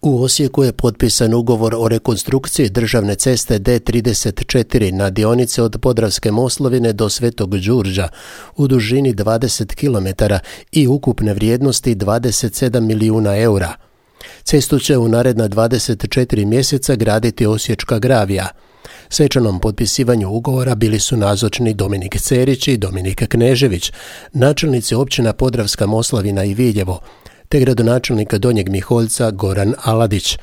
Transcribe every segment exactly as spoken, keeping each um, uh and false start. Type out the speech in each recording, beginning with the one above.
U Osijeku je potpisan ugovor o rekonstrukciji državne ceste D trideset četiri na dionici od Podravske Moslavine do Svetog Đurđa u dužini dvadeset kilometara i ukupne vrijednosti dvadeset sedam milijuna eura. Cestu će u naredna dvadeset četiri mjeseca graditi Osječka Gravija. Svečanom potpisivanju ugovora bili su nazočni Dominik Cerić i Dominik Knežević, načelnici općina Podravska Moslavina i Viljevo, te gradonačelnik Donjeg Miholjca Goran Aladić.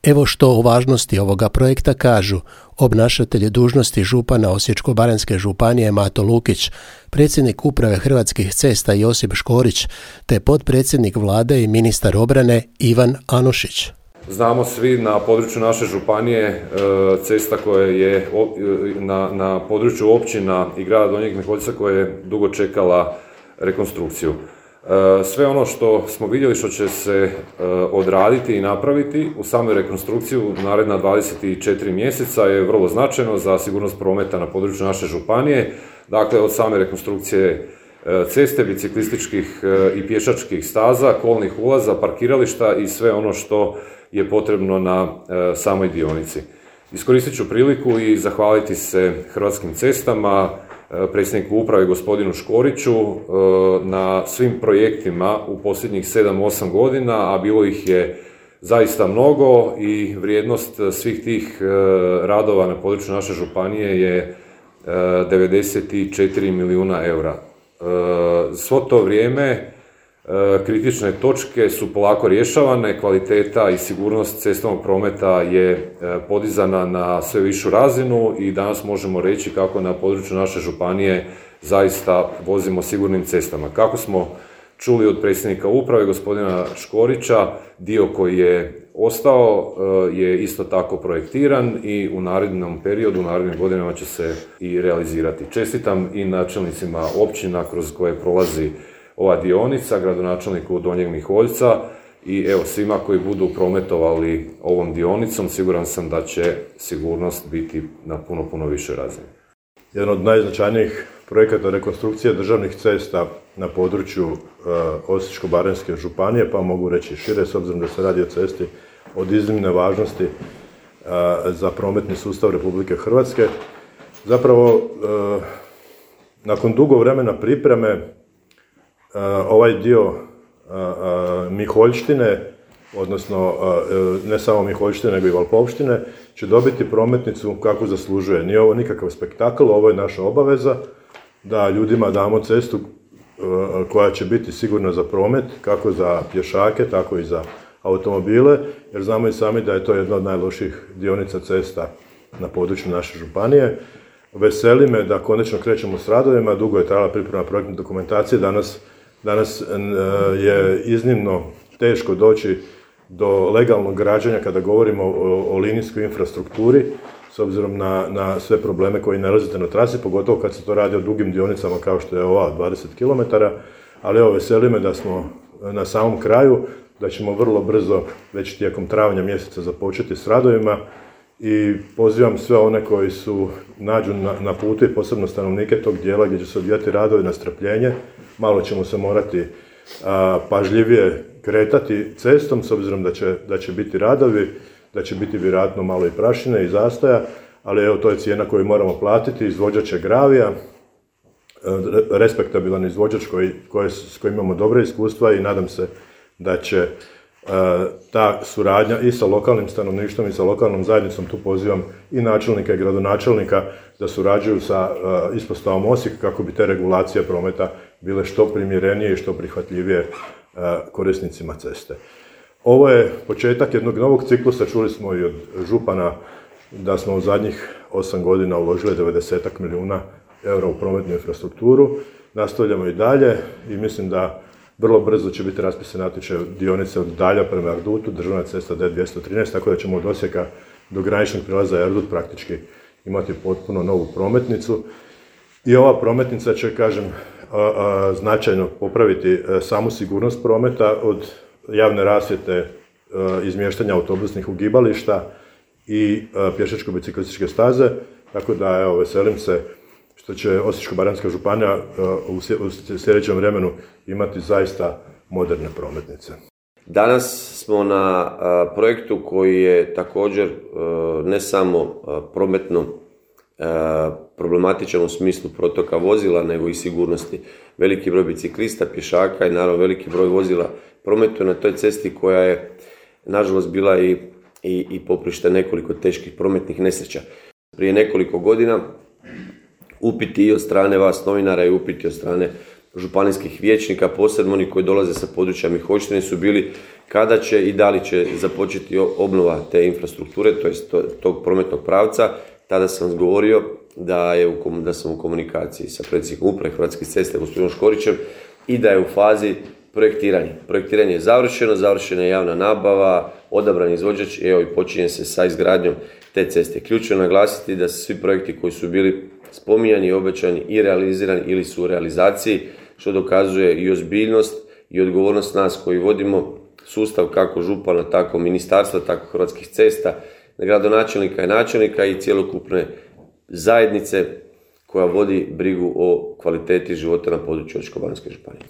Evo što o važnosti ovoga projekta kažu obnašatelj dužnosti župana Osječko-baranjske županije Mato Lukić, predsjednik uprave Hrvatskih cesta Josip Škorić, te potpredsjednik vlade i ministar obrane Ivan Anušić. Znamo svi na području naše županije cesta koja je na, na području općina i grada Donjeg Miholjca koja je dugo čekala rekonstrukciju. Sve ono što smo vidjeli što će se odraditi i napraviti u samoj rekonstrukciji u naredna dvadeset četiri mjeseca je vrlo značajno za sigurnost prometa na području naše županije. Dakle, od same rekonstrukcije ceste, biciklističkih i pješačkih staza, kolnih ulaza, parkirališta i sve ono što je potrebno na samoj dionici. Iskoristit ću priliku i zahvaliti se Hrvatskim cestama, predsjedniku uprave gospodinu Škoriću na svim projektima u posljednjih sedam osam godina, a bilo ih je zaista mnogo i vrijednost svih tih radova na području naše županije je devedeset četiri milijuna eura. Svo to vrijeme kritične točke su polako rješavane, kvaliteta i sigurnost cestovnog prometa je podizana na sve višu razinu i danas možemo reći kako na području naše županije zaista vozimo sigurnim cestama. Kako smo čuli od predsjednika uprave gospodina Škorića, dio koji je ostao je isto tako projektiran i u narednom periodu, u narednim godinama će se i realizirati. Čestitam i načelnicima općina kroz koje prolazi ova dionica, gradonačelniku Donjeg Miholjca i evo svima koji budu prometovali ovom dionicom, siguran sam da će sigurnost biti na puno, puno više razine. Jedan od najznačajnijih projekata rekonstrukcije državnih cesta na području uh, Osječko-baranjske županije, pa mogu reći šire, s obzirom da se radi o cesti od iznimne važnosti uh, za prometni sustav Republike Hrvatske. Zapravo, uh, nakon dugo vremena pripreme, Uh, ovaj dio uh, uh, Miholjštine, odnosno uh, ne samo Miholjštine, nego i Valpovštine, će dobiti prometnicu kako zaslužuje. Nije ovo nikakav spektakl, ovo je naša obaveza da ljudima damo cestu uh, koja će biti sigurna za promet, kako za pješake, tako i za automobile, jer znamo i sami da je to jedna od najloših dionica cesta na području naše županije. Veseli me da konačno krećemo s radovima, dugo je trajala priprema projektne dokumentacije, danas Danas je iznimno teško doći do legalnog građenja kada govorimo o, o linijskoj infrastrukturi, s obzirom na, na sve probleme koji nalazite na trasi, pogotovo kad se to radi o dugim dionicama kao što je ova dvadeset kilometara, ali evo veseli me da smo na samom kraju, da ćemo vrlo brzo, već tijekom travnja mjeseca započeti s radovima i pozivam sve one koji su nađu na, na putu i posebno stanovnike tog dijela gdje će se odvijati radovi na strpljenje. Malo ćemo se morati a, pažljivije kretati cestom, s obzirom da će, da će biti radovi, da će biti vjerojatno malo i prašine i zastoja, ali evo to je cijena koju moramo platiti. Izvođač je Gravija, respektabilan izvođač koji, koji, s kojim imamo dobre iskustva i nadam se da će ta suradnja i sa lokalnim stanovništvom i sa lokalnom zajednicom, tu pozivam i načelnika i gradonačelnika da surađuju sa ispostavom Osijek kako bi te regulacije prometa bile što primjerenije i što prihvatljivije korisnicima ceste. Ovo je početak jednog novog ciklusa, čuli smo i od župana da smo u zadnjih osam godina uložili devedeset milijuna eura u prometnu infrastrukturu, nastavljamo i dalje i mislim da vrlo brzo će biti raspisan natječaj dionice od Dalja prema Erdutu, državna cesta D dvjesto trinaest, tako da ćemo od Osijeka do graničnog prijelaza Erdut praktički imati potpuno novu prometnicu. I ova prometnica će, kažem, značajno popraviti samu sigurnost prometa od javne rasvjete, izmještanja autobusnih ugibališta i pješačko-biciklističke staze, tako da evo, veselim se što će Osječko-baranjska županija u sljedećem vremenu imati zaista moderne prometnice. Danas smo na a, projektu koji je također a, ne samo a, prometno a, problematičan u smislu protoka vozila, nego i sigurnosti. Veliki broj biciklista, pješaka i naravno veliki broj vozila prometuje na toj cesti koja je nažalost bila i, i, i poprište nekoliko teških prometnih nesreća. Prije nekoliko godina upiti i od strane vas novinara i upiti od strane županijskih vijećnika, posebno oni koji dolaze sa područja Miholjštine, su bili kada će i da li će započeti obnova te infrastrukture, to jest tog prometnog pravca. Tada sam govorio da, je u, da sam u komunikaciji sa predsjednikom uprave Hrvatskih cesta, gospodinom Škorićem, i da je u fazi projektiranja. Projektiranje je završeno, završena je javna nabava, odabran izvođač, evo i počinje se sa izgradnjom te ceste. Ključno je naglasiti da svi projekti koji su bili spominjani, obećani i realizirani ili su u realizaciji, što dokazuje i ozbiljnost i odgovornost nas koji vodimo sustav kako župana, tako ministarstva, tako Hrvatskih cesta, gradonačelnika i načelnika i cjelokupne zajednice koja vodi brigu o kvaliteti života na području Osječko-baranjske županije.